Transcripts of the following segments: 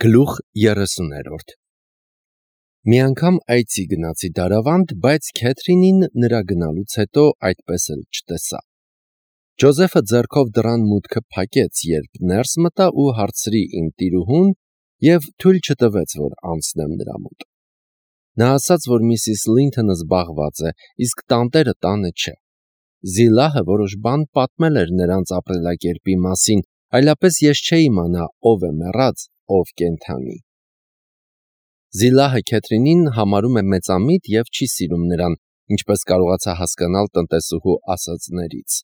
Գլուխ 30-րդ Մի անգամ այցի գնացի Դարավանդ, բայց Քեթրինին նրա գնալուց հետո այդպես էլ չտեսա։ Ջոզեֆը ձեռքով դռան մուտքը փակեց, երբ ներս մտա ու հարցրի իմ տիրուհուն և թույլ չտվեց, որ անցնեմ նրա մոտ։ Նա ասաց, որ Միսիս Լինթոնը զբաղված է, իսկ տանտերը տանը չէ։ Զիլահը որոշ բան պատմել էր նրանց ապրելակերպի մասին, այլապես ես չէի իմանա ով է մեռած, ով կենդանի։ Զիլահը Քեթրինին համարում է մեծամիտ և չի սիրում նրան, ինչպես կարողացա հասկանալ տնտեսուհու ասածներից։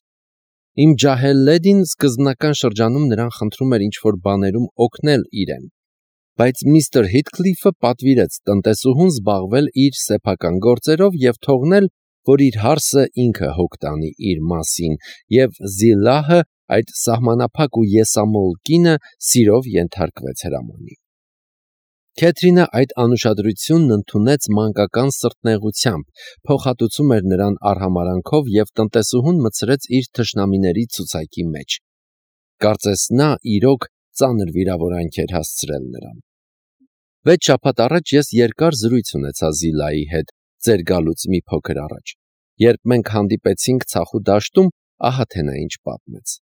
Իմ ջահել լեդին սկզբնական շրջանում նրան խնդրում էր ինչ-որ բաներում օգնել իրեն, բայց միստր Հիթքլիֆը պատվիրեց տնտեսուհուն զբաղվել իր սեփական գործերով և թողնել, որ իր հարսը ինքը հոգ տանի իր մասին, և Զիլահը, այդ սահմանափակ ու եսամոլ կինը, սիրով ենթարկվեց հրամանի։ Քեթրինը այդ անուշադրությունն ընդունեց մանկական սրտնեղությամբ, փոխհատուցում էր նրան արհամարհանքով և տնտեսուհուն մտցրեց իր թշնամիների ցուցակի մեջ։ Կարծես նա իրոք ծանր վիրավորանք էր հասցրել նրան։ 6 շաբաթ առաջ ես երկար զրույց ունեցա Զիլայի հետ, ձեր գալուց մի փոքր առաջ։ Երբ մենք հանդիպեցինք ցախու դաշտում, ահա թե նա ինչ պատմեց։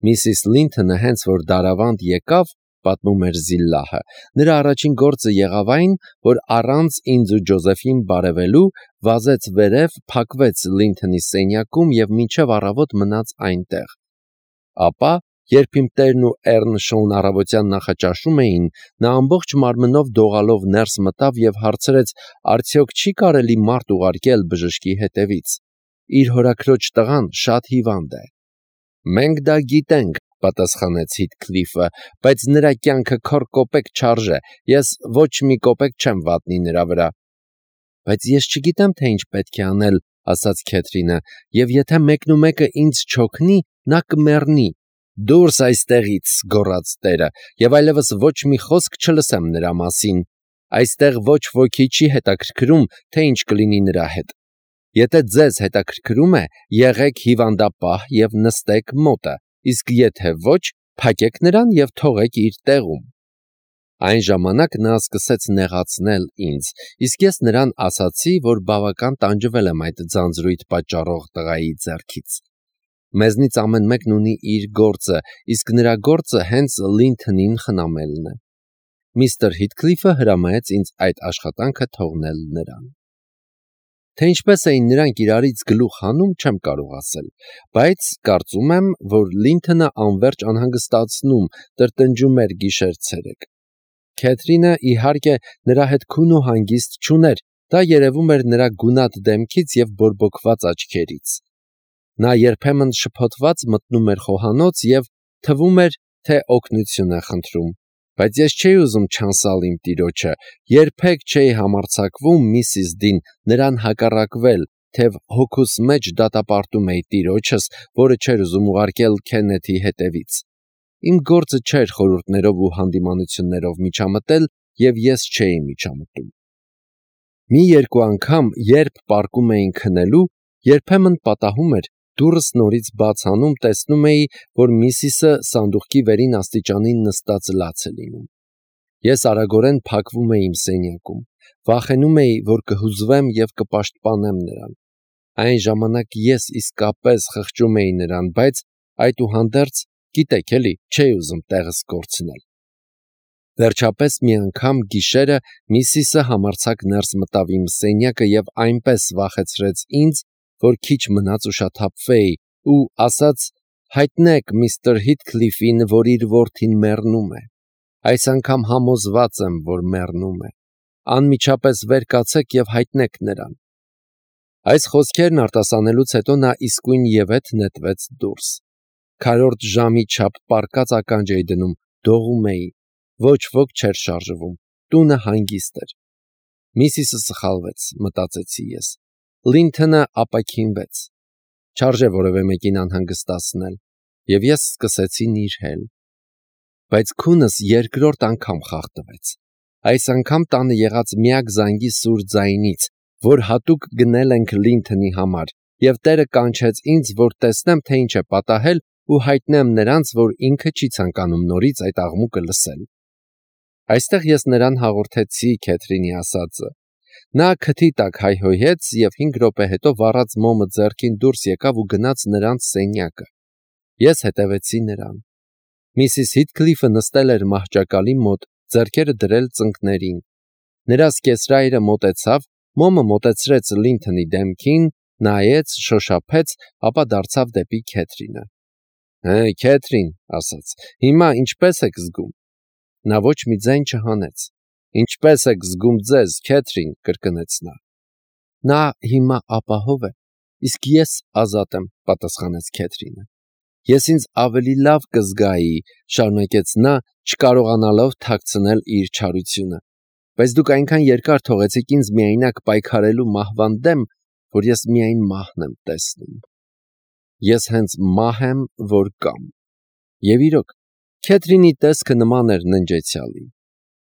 Միսիս Լինթոնը հենց որ Դարավանդ եկավ, պատմում էր Զիլահը, նրա առաջին գործը եղավ այն, որ առանց ինձ ու Ջոզեֆին բարևելու, վազեց վերև, փակվեց Լինթոնի սենյակում և մինչև առավոտ մնաց այնտեղ։ Ապա, երբ իմ տերն ու Էռնշոուն առավոտյան նախաճաշում էին, նա ամբողջ մարմնով դողալով ներս մտավ և հարցրեց, արդյոք չի կարելի մարդ ուղարկել բժշկի հետևից։ Իր հորաքրոջ տղան շատ հիվանդ է։ Մենք դա գիտենք, պատասխանեց Հիթքլիֆը, բայց նրա կյանքը քոր կոպեկ չարժե, ես ոչ մի կոպեկ չեմ վատնի նրա վրա։ Բայց ես չգիտեմ, թե ինչ պետք է անել, ասաց Քեթրինը, և եթե մեկնումեկը ինձ չօգնի, նա կմեռնի։ Դուրս այստեղից, գոռաց տերը, և այլևս ոչ մի խոսք չլսեմ նրա մասին։ Այստեղ ոչ ոքի չի հետաքրքրում, թե ինչ կլինի նրա հետ։ Եթե ձեզ հետաքրքրում է, եղեք հիվանդապահ և նստեք մոտը, իսկ եթե ոչ, փակեք նրան և թողեք իր տեղում։ Այն ժամանակ նա սկսեց նեղացնել ինձ, իսկ ես նրան ասացի, որ բավական տանջվել եմ այդ ձանձրույթ պատճառող տղայի ձեռքից։ Մեզնից ամեն մեկն ունի իր գործը, իսկ նրա գործը հենց Լինթոնին խնամելն է։ Միստր Հիթքլիֆը հրամայեց ինձ այդ աշխատանքը թողնել նրան։ Թե ինչպես էին նրանք իրարից գլուխ հանում, չեմ կարող ասել, բայց կարծում եմ, որ Լինթոնը անվերջ անհանգստացնում, տրտնջում էր գիշեր-ցերեկ։ Քեթրինը, իհարկե, նրա հետ քուն ու հանգիստ չուներ, դա երևում էր նրա գունատ դեմքից և բորբոքված աչքերից։ Նա երբեմն շփոթված մտնում էր խոհանոց և թվում էր, թե օգնություն է խնդրում, բայց ես չէի ուզում չանսալ իմ տիրոջը, երբեք չէի համարձակվում, Միսիս Դին, նրան հակառակվել, թեև հոգուս մեջ դատապարտում էի տիրոջս, որը չէր ուզում ուղարկել Քեննեթի հետևից։ Իմ գործը չէր խորհուրդներով ու հանդիմանություններով միջամտել, և ես չէի միջամտում։ Մի-երկու անգամ, երբ պառկում էինք քնելու, երբեմն պատահում էր, դուռս նորից բաց անում, տեսնում էի, որ Միսիսը սանդուղքի վերին աստիճանին նստած լաց է լինում։ Ես արագորեն փակվում էի իմ սենյակում, վախենում էի, որ կհուզվեմ և կպաշտպանեմ նրան։ Այն ժամանակ ես իսկապես խղճում էի նրան, բայց այդուհանդերձ, գիտեք էլի, չէի ուզում տեղս կորցնել։ Վերջապես մի անգամ գիշերը Միսիսը համարձակ ներս մտավ իմ սենյակը և այնպես վախեցրեց ինձ, որ քիչ մնաց ուշաթափվեի ու ասաց. հայտնեք միստր Հիթքլիֆին, որ իր որդին մեռնում է։ Այս անգամ համոզված եմ, որ մեռնում է։ Անմիջապես վեր կացեք և հայտնեք նրան։ Այս խոսքերն արտասանելուց հետո նա իսկույնևեթ նետվեց դուրս։ Քառորդ ժամի չափ պառկած ականջ էի դնում, դողում էի։ Ոչ ոք չէր շարժվում, տունը հանգիստ էր։ Միսիսը սխալվեց, մտածեցի ես։ Լինթոնը ապաքինվեց։ Չարժե որևէ մեկին անհանգստացնել, և ես սկսեցի նիրհել։ Բայց քունս երկրորդ անգամ խախտվեց։ Այս անգամ տանը եղած միակ զանգի սուր ձայնից, որ հատուկ գնել ենք Լինթոնի համար, և տերը կանչեց ինձ, որ տեսնեմ, թե ինչ է պատահել ու հայտնեմ նրանց, որ ինքը չի ցանկանում նորից այդ աղմուկը լսել։ Այստեղ ես նրան հաղորդեցի Քեթրինի ասածը։ Նա քթի տակ հայհոյեց և 5 րոպե հետո վառած մոմը ձեռքին դուրս եկավ ու գնաց նրանց սենյակը։ Ես հետևեցի նրան։ Միսիս Հիթքլիֆը նստել էր մահճակալի մոտ, ձեռքերը դրել ծնկներին։ Նրա սկեսրայրը մոտեցավ, մոմը մոտեցրեց Լինթոնի դեմքին, նայեց, շոշափեց, ապա դարձավ դեպի Քեթրինը։ «Հե, Քեթրին», ասաց, «հիմա ինչպե՞ս եք զգում»։ Նա ոչ մի ձայն չհանեց։ «Ինչպե՞ս եք զգում ձեզ, Քեթրին», կրկնեց նա։ «Նա հիմա ապահով է, իսկ ես ազատ եմ», պատասխանեց Քեթրինը։ «Ես ինձ ավելի լավ կզգայի», շարունակեց նա, չկարողանալով թաքցնել իր չարությունը, «բայց դուք այնքան երկար թողեցիք ինձ միայնակ պայքարելու մահվան դեմ, որ ես միայն մահն եմ տեսնում։ Ես հենց մահ եմ, որ կամ»։ Եվ իրոք, Քեթրինի տեսքը նման էր ննջեցյալի։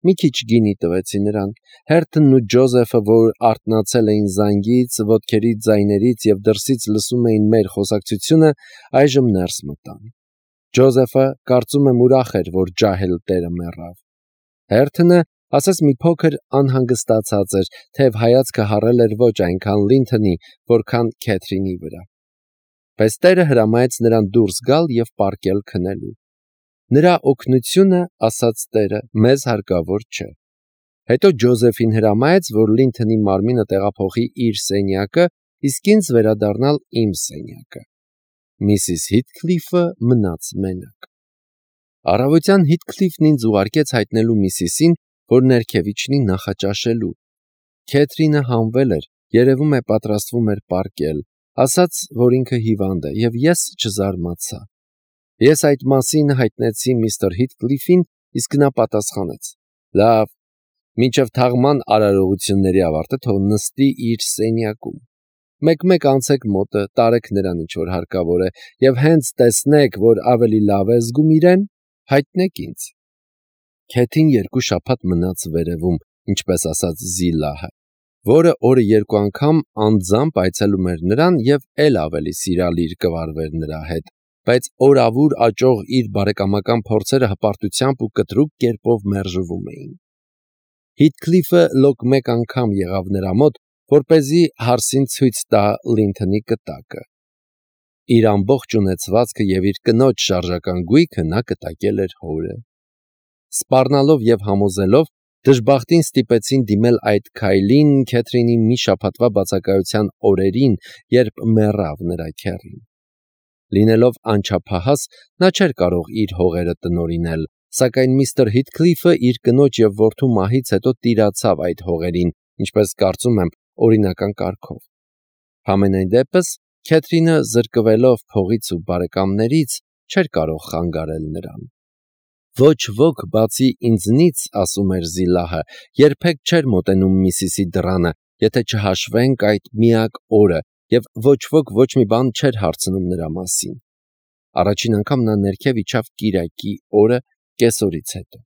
Մի քիչ գինի տվեցի նրան։ Հերթն ու Ջոզեֆը, որ արթնացել էին զանգից, ոտքերի ձայներից և դրսից լսում էին մեր խոսակցությունը, այժմ ներս մտան։ Ջոզեֆը, կարծում եմ, ուրախ էր, որ ջահել տերը մեռավ։ Հերթը, ասես մի փոքր անհանգստացած էր, թեև հայացքը հառել էր ոչ այնքան Լինթոնի, որքան Քեթրինի վրա։ Բայց տերը հրամայեց նրան դուրս գալ և պառկել քնելու։ Նրա օգնությունը, ասաց տերը, մեզ հարկավոր չէ։ Հետո Ջոզեֆին հրամայեց, որ Լինթոնի մարմինը տեղափոխի իր սենյակը, իսկ ինձ վերադառնալ իմ սենյակը։ Միսիս Հիթքլիֆը մնաց մենակ։ Առավոտյան Հիթքլիֆն ինձ ուղարկեց հայտնելու Միսիսին, որ ներքև իջնի նախաճաշելու։ Քեթրինը հանվել էր, երևում է պատրաստվում էր պառկել, ասաց, որ ինքը հիվանդ է, և ես չզարմացա։ Ես այդ մասին հայտնեցի միստր Հիթքլիֆին, իսկ նա պատասխանեց. «Լավ, մինչև թաղման արարողությունների ավարտը թող նստի իր սենյակում։ Մեկ-մեկ անցեք մոտը, տարեք նրան ինչ-որ հարկավոր է, և հենց տեսնեք, որ ավելի լավ է զգում իրեն, հայտնեք ինձ»։ Քեթին 2 շաբաթ մնաց վերևում, ինչպես ասաց Զիլահը, որը օրը 2 անգամ անձամբ այցելում էր նրան և էլ ավելի սիրալիր կվարվեր նրա հետ, բայց օրավուր աճող իր բարեկամական փորձերը հպարտությամբ ու կտրուկ կերպով մերժվում էին։ Հիթքլիֆը լոկ մեկ անգամ եղավ նրա մոտ, որպեսզի հարսին ցույց տա Լինթոնի կտակը։ Իր ամբողջ ունեցվածքը և իր կնոջ շարժական գույքը նա կտակել էր հորը։ Սպառնալով և համոզելով, դժբախտին ստիպեցին դիմել այդ քայլին Քեթրինի մի շաբաթվա բացակայության օրերին, երբ մեռավ նրա քեռին։ Լինելով անչափահաս, նա չէր կարող իր հողերը տնօրինել, սակայն միստր Հիթքլիֆը իր կնոջ և որդու մահից հետո տիրացավ այդ հողերին, ինչպես կարծում եմ, օրինական կարգով։ Համենայն դեպս, Քեթրինը, զրկվելով փողից ու բարեկամներից, չէր կարող խանգարել նրան։ Ոչ ոք բացի ինձնից, ասում էր Զիլահը, երբեք չէր մոտենում Միսիսի դռանը, եթե չհաշվենք այդ միակ օրը, և ոչ ոք ոչ մի բան չէր հարցնում նրա մասին։ Առաջին անգամ նա ներքև իջավ կիրակի օրը, կեսօրից հետո։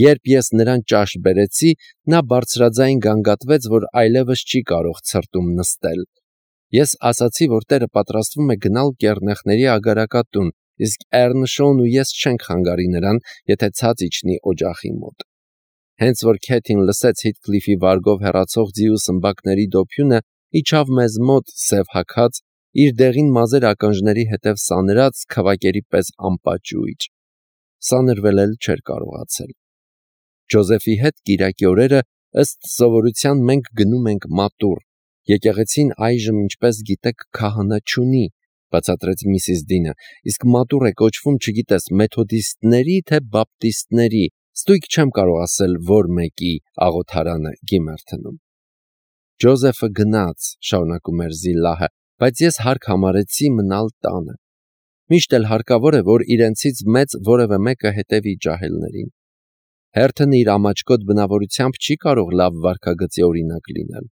Երբ ես նրան ճաշ բերեցի, նա բարձրաձայն գանգատվեց, որ այլևս չի կարող ցրտում նստել։ Ես ասացի, որ տերը պատրաստվում է գնալ կեռնեխների ագարակատուն, իսկ Էռնշոն ու ես չենք խանգարի նրան, եթե ցած իջնի օջախի մոտ։ Հենց որ Քեթին լսեց Հիթքլիֆի վարգով հեռացող ձիու սմբակների դոփյունը, իջավ մեզ մոտ սև հագած, իր դեղին մազեր ականջների հետև սանրած, քվակերի պես անպաճույճ։ Սանրվել էլ չէր կարողացել։ Ջոզեֆի հետ կիրակի օրերը ըստ սովորության մենք գնում ենք մատուռ։ Եկեղեցին այժմ, ինչպես գիտեք, քահանա չունի, բացատրեց միսիս Դինը, իսկ մատուռ է կոչվում, չգիտես, մեթոդիստների, թե բապտիստների, ստույգ չեմ կարող ասել, որ մեկի աղոթարանը Գիմերթնում։ Ջոզեֆը գնաց, շարունակում էր Զիլահը, բայց ես հարկ համարեցի մնալ տանը։ Միշտ էլ հարկավոր է, որ իրենցից մեծ որևէ մեկը հետևի ջահելներին։ Հերթն իր ամաչկոտ բնավորությամբ չի կարող լավ վարքագծի օրինակ լինել։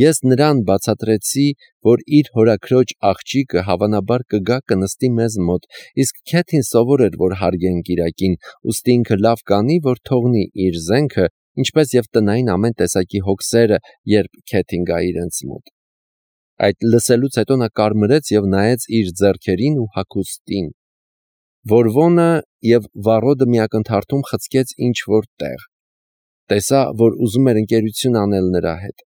Ես նրան բացատրեցի, որ իր հորաքրոջ աղջիկը հավանաբար կգա կնստի մեզ մոտ, իսկ Քեթին սովոր էր, որ հարգեն կիրակին, ուստի ինքը լավ կանի, որ թողնի իր զենքը, ինչպես և տնային ամեն տեսակի հոգսերը, երբ Քեթին գա իրենց մոտ։ Այդ լսելուց հետո նա կարմրեց և նայեց իր ձեռքերին ու հագուստին։ Որվոնը և վառոդը միակնթարթում խցկեց ինչ-որ տեղ։ Տեսա, որ ուզում էր ընկերություն անել նրա հետ։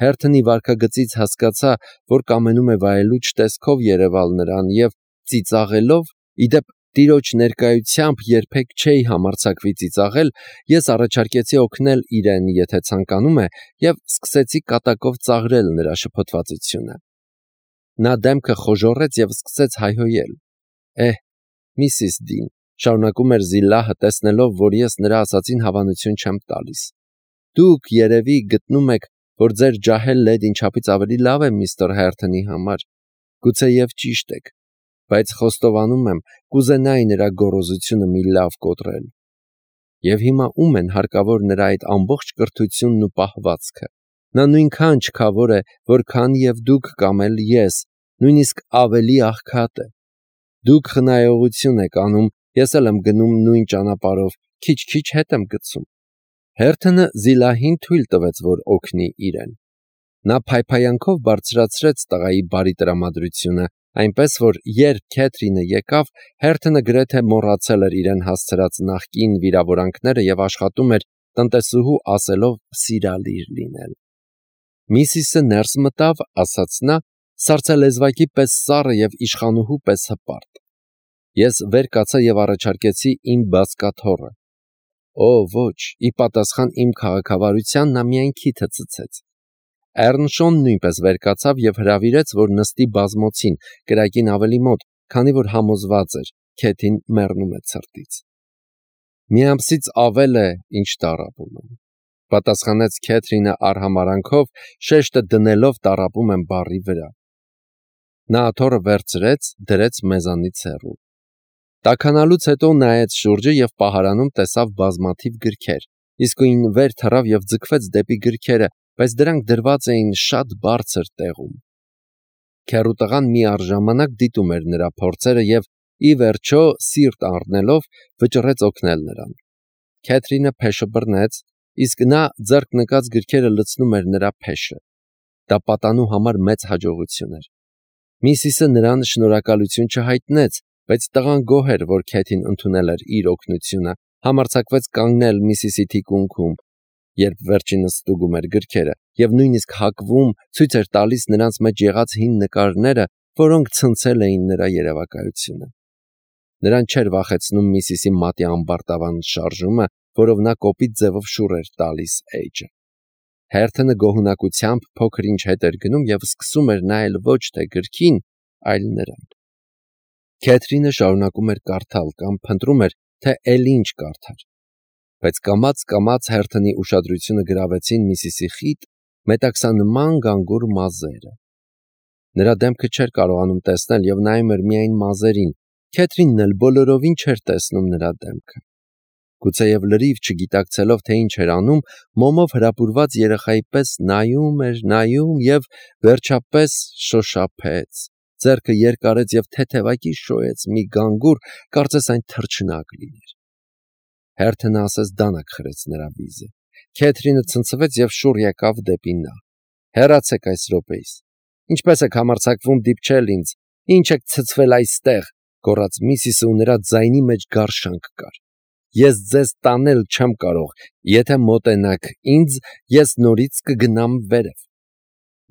Հերթոնի վարքագծից հասկացա, որ կամենում է վայելուչ տեսքով երևալ նրան և ծիծաղելով, իդեպ տիրոջ ներկայությամբ երբեք չէի համարձակվի ծիծաղել, ես առաջարկեցի օգնել իրեն, եթե ցանկանում է, և սկսեցի կատակով ծաղրել նրա շփոթվածությունը։ Նա դեմքը խոժոռեց և սկսեց հայհոյել։ Միսիս Դին, շարունակում էր Զիլլահը, տեսնելով, որ ես նրա ասածին հավանություն չեմ տալիս։ Դուք երևի գտնում եք, որ ձեր ջահել լեդին չափից ավելի լավ է միստր Հերթոնի համար։ Գուցեև ճիշտ եք, բայց խոստովանում եմ, կուզենայի նրա գոռոզությունը մի լավ կոտրել։ Եվ հիմա ում են հարկավոր նրա այդ ամբողջ կրթությունն ու պահվածքը։ Նա նույնքան չքավոր է, որքան և դուք կամ էլ ես, նույնիսկ ավելի աղքատ է։ Դուք խնայողություն եք անում, ես էլ եմ գնում նույն ճանապարհով, քիչ-քիչ հետ եմ գցում։ Հերթոնը Զիլահին թույլ տվեց, որ օգնի իրեն։ Նա փայփայանքով բարձրացրեց տղայի բարի տրամադրությունը, այնպես որ երբ Քեթրինը եկավ, Հերթոնը գրեթե մոռացել էր իրեն հասցրած նախկին վիրավորանքները և աշխատում էր տնտեսուհու ասելով սիրալիր լինել։ Միսիսը ներս մտավ, ասաց նա, սառցալեզվակի պես սառը և իշխանուհու պես հպարտ։ Ես վեր կացա և առաջարկեցի իմ բազկաթոռը։ Ոչ, ի պատասխան իմ քաղաքավարության նա միայն քիթը ցցեց։ Էռնշոն նույնպես վեր կացավ և հրավիրեց, որ նստի բազմոցին, կրակին ավելի մոտ, քանի որ համոզված էր, Քեթին մեռնում է ցրտից։ Մի ամսից ավել է, ինչ տառապում եմ, պատասխանեց Քեթրինը արհամարանքով, շեշտը դնելով տառապում եմ բառի վրա։ Նա աթոռը վերցրեց, դրեց մեզանից հեռու։ Տաքանալուց հետո նայեց շուրջը և պահարանում տեսավ բազմաթիվ գրքեր, իսկույն վեր թռավ և ձգվեց դեպի գրքերը, բայց դրանք դրված էին շատ բարձր տեղում։ Քեռուտղան միառժամանակ դիտում էր նրա փորձերը և, ի վերջո, սիրտ առնելով, վճռեց օգնել նրան։ Քեթրինը փեշը բռնեց, իսկ նա ձեռք նկած գրքերը լցնում էր նրա փեշը։ Դա պատանու համար մեծ հաջողություն էր։ Միսիսը նրան շնորհակալություն չհայտնեց, բայց տղան գոհ էր, որ Քեթին ընդունել էր իր օգնությունը, համարձակվեց կանգնել Միսիսի թիկունքում, երբ վերջինս ստուգում էր գրքերը, և նույնիսկ հակվում, ցույց էր տալիս նրանց մեջ եղած հին նկարները, որոնք ցնցել էին նրա երևակայությունը։ Նրան չէր վախեցնում Միսիսի մատի ամբարտավան շարժումը, որով նա կոպիտ ձևով շուռ էր տալիս էջը։ Հերթոնը գոհունակությամբ փոքր-ինչ հետ էր գնում և սկսում էր նայել ոչ թե գրքին, այլ նրան։ Քեթրինը շարունակում էր կարդալ կամ փնտրում էր, թե էլ ինչ կարդար։ Բայց կամաց-կամաց Հերթոնի ուշադրությունը գրավեցին Միսիսի խիտ, մետաքսանման գանգուր մազերը։ Նրա դեմքը չէր կարողանում տեսնել և նայում էր միայն մազերին։ Քեթրինն էլ բոլորովին չէր տեսնում նրա դեմքը։ Գուցեև լրիվ չգիտակցելով, թե ինչ էր անում, մոմով հրապուրված երեխայի պես նայում և վերջապես շոշափեց, ձեռքը երկարեց և թեթևակի շոյեց մի գանգուր, կարծես այն թռչնակ լիներ։ Հերթոնը ասես դանակ խրեց նրա վիզը։ Քեթրինը ցնցվեց և շուռ եկավ դեպի նա։ Հեռացեք այս րոպեից։ Ինչպես եք համարձակվում դիպչել ինձ։ Ինչ եք ցցվել այստեղ, գոռաց Միսիսը ու նրա ձայնի մեջ գարշանք կար։ Ես ձեզ տանել չեմ կարող, եթե մոտենաք ինձ, ես նորից կգնամ վերև։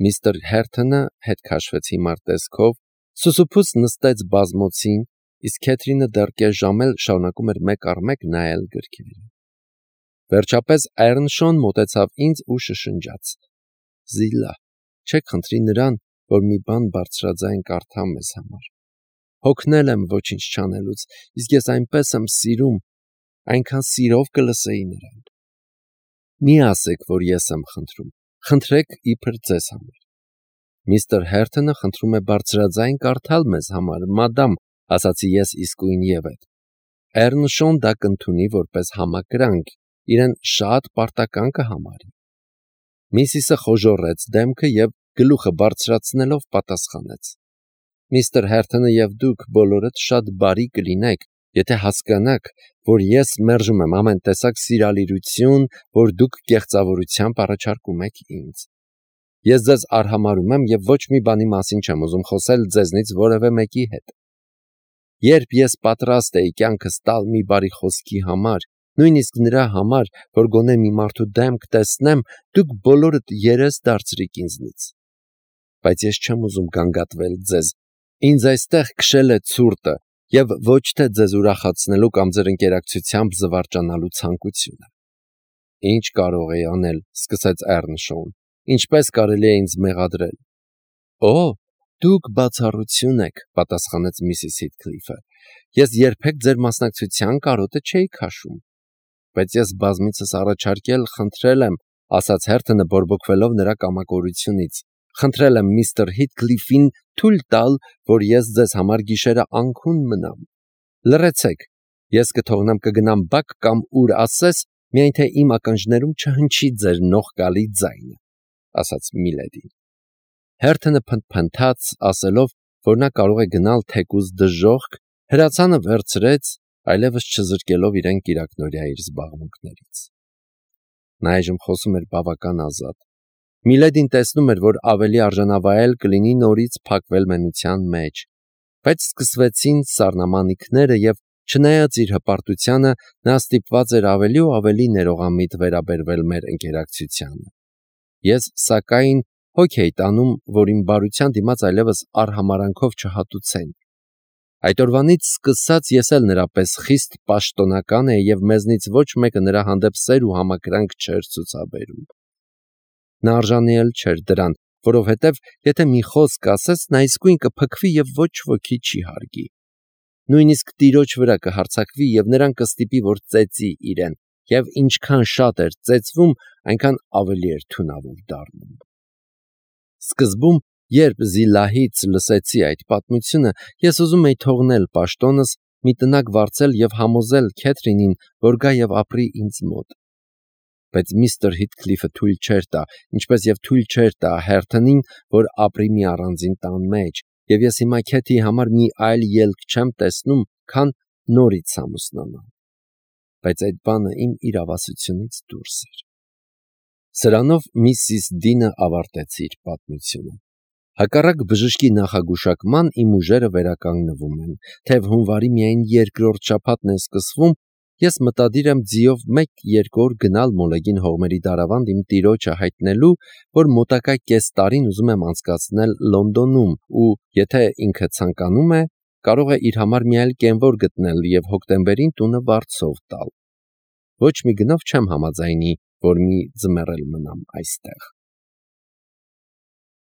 Միստր Հերթոնը հետ քաշվեց հիմար տեսքով, սուսուփուց նստեց բազմոցին, իսկ Քեթրինը դեռ կես ժամ էլ շարունակում էր մեկ առ մեկ նայել գրքերը։ Վերջապես Էռնշոն մոտեցավ ինձ ու շշնջաց. Զիլա, չեք խնդրի նրան, որ մի բան բարձրաձայն կարդա մեզ համար։ Հոգնել եմ ոչինչ չանելուց, իսկ ես այնպես եմ սիրում, այնքան սիրով կլսեի նրան։ Մի ասեք, որ ես եմ խնդրում, խնդրեք իբր ձեզ համար։ Միստր Հերթոնը խնդրում է բարձրաձայն կարդալ մեզ համար, մադամ, ասացի ես իսկույն ևեթ։ Էռնշոն դա կընդունի որպես համակրանք, իրեն շատ պարտական կհամարի։ Միսիսը խոժոռեց դեմքը և գլուխը բարձրացնելով պատասխանեց. Միստր Հերթոնը և դուք բոլորդ շատ բարի կլինեք, եթե հասկանաք, որ ես մերժում եմ ամեն տեսակ սիրալիրություն, որ դուք կեղծավորությամբ առաջարկում եք ինձ։ Ես ձեզ արհամարհում եմ և ոչ մի բանի մասին չեմ ուզում խոսել ձեզնից որևէ մեկի հետ։ Երբ ես պատրաստ էի կյանքս տալ մի բարի խոսքի համար, նույնիսկ նրա համար, որ գոնե մի մարդու դեմք տեսնեմ, դուք բոլորդ երես դարձրիք ինձնից։ Բայց ես չեմ ուզում գանգատվել ձեզ, ինձ այստեղ քշել է ցուրտը և ոչ թե ձեզ ուրախացնելու կամ ձեր ընկերակցությամբ զվարճանալու ցանկությունը։ Ինչ կարող էի անել, սկսեց Էռնշոուն, ինչպես կարելի է ինձ մեղադրել։ Օ, դուք բացառություն եք, պատասխանեց Միսիս Հիթքլիֆը, ես երբեք ձեր մասնակցության կարոտը չէի քաշում։ Բայց ես բազմիցս առաջարկել խնդրել եմ, ասաց Հերթոնը բորբոքվելով նրա կամակորությունից, խնդրել եմ միստր Հիթքլիֆին թույլ տալ, որ ես ձեզ համար գիշերը անքուն մնամ։ Լռեցեք, ես կթողնեմ կգնամ բակ կամ ուր ասես, միայն թե իմ ականջներում չհնչի ձեր նողկալի ձայնը, ասաց Միլեդին։ Հերթոնը փնթփնթաց, ասելով, որ նա կարող է գնալ թեկուզ դժոխք, հրացանը վերցրեց, այլևս չզրկելով իրեն կիրակնօրյա իր զբաղմունքներից։ Նա այժմ խոսում էր բավական ազատ։ Միլեդին տեսնում էր, որ ավելի արժանավայել կլինի նորից փակվել մենության մեջ, բայց սկսվեցին սառնամանիքները և չնայած իր հպարտությանը, նա ստիպված էր ավելի ու ավելի ներողամիտ վերաբերվել մեր ընկերակցությանը։ Ես, սակայն, հոգ էի տանում, որ իմ բարության դիմաց այլևս արհամարանքով չհատուցեն։ Այդ օրվանից սկսած ես էլ նրա պես խիստ պաշտոնական էի և մեզնից ոչ մեկը նրա հանդեպ սեր ու համակրանք չէր ցուցաբերում։ Նա արժանի էլ չէր դրան, որովհետև եթե մի խոսք ասես, նա իսկույն կփքվի և ոչ ոքի չի հարգի։ Նույնիսկ տիրոջ վրա կհարձակվի և նրան կստիպի, որ ծեծի իրեն, և ինչքան շատ էր ծեծվում, այնքան ավելի էր թունավոր դառնում։ Սկզբում, երբ Զիլահից լսեցի այդ պատմությունը, ես ուզում էի թողնել պաշտոնս, մի տնակ վարձել և համոզել Քեթրինին, որ գա և ապրի ինձ մոտ։ Բայց միստր Հիթքլիֆը թույլ չէր տա, ինչպես և թույլ չէր տա Հերթոնին, որ ապրի մի առանձին տան մեջ, և ես հիմա Քեթիի համար մի այլ ելք չեմ տեսնում, քան նորից ամուսնանալ։ Բայց այդ բանը իմ իրավասությունից դուրս էր։ Սրանով Միսիս Դինը ավարտեց իր պատմությունը։ Հակառակ բժշկի նախագուշակման իմ ուժերը վերականգնվում են, թեև հունվարի միայն երկրորդ շաբաթն է սկսվում, ես մտադիր եմ ձիով 1-2 օր գնալ Մոլեգին հողմերի դարավանդ իմ տիրոջը հայտնելու, որ մոտակա կես տարին ուզում եմ անցկացնել Լոնդոնում ու, եթե ինքը ցանկանում է, կարող է իր համար մի այլ կենվոր գտնել և հոկտեմբերին տունը վարձով տալ։ Ոչ մի գնով չեմ համաձայնի, որ մի ձմեռ էլ մնամ այստեղ։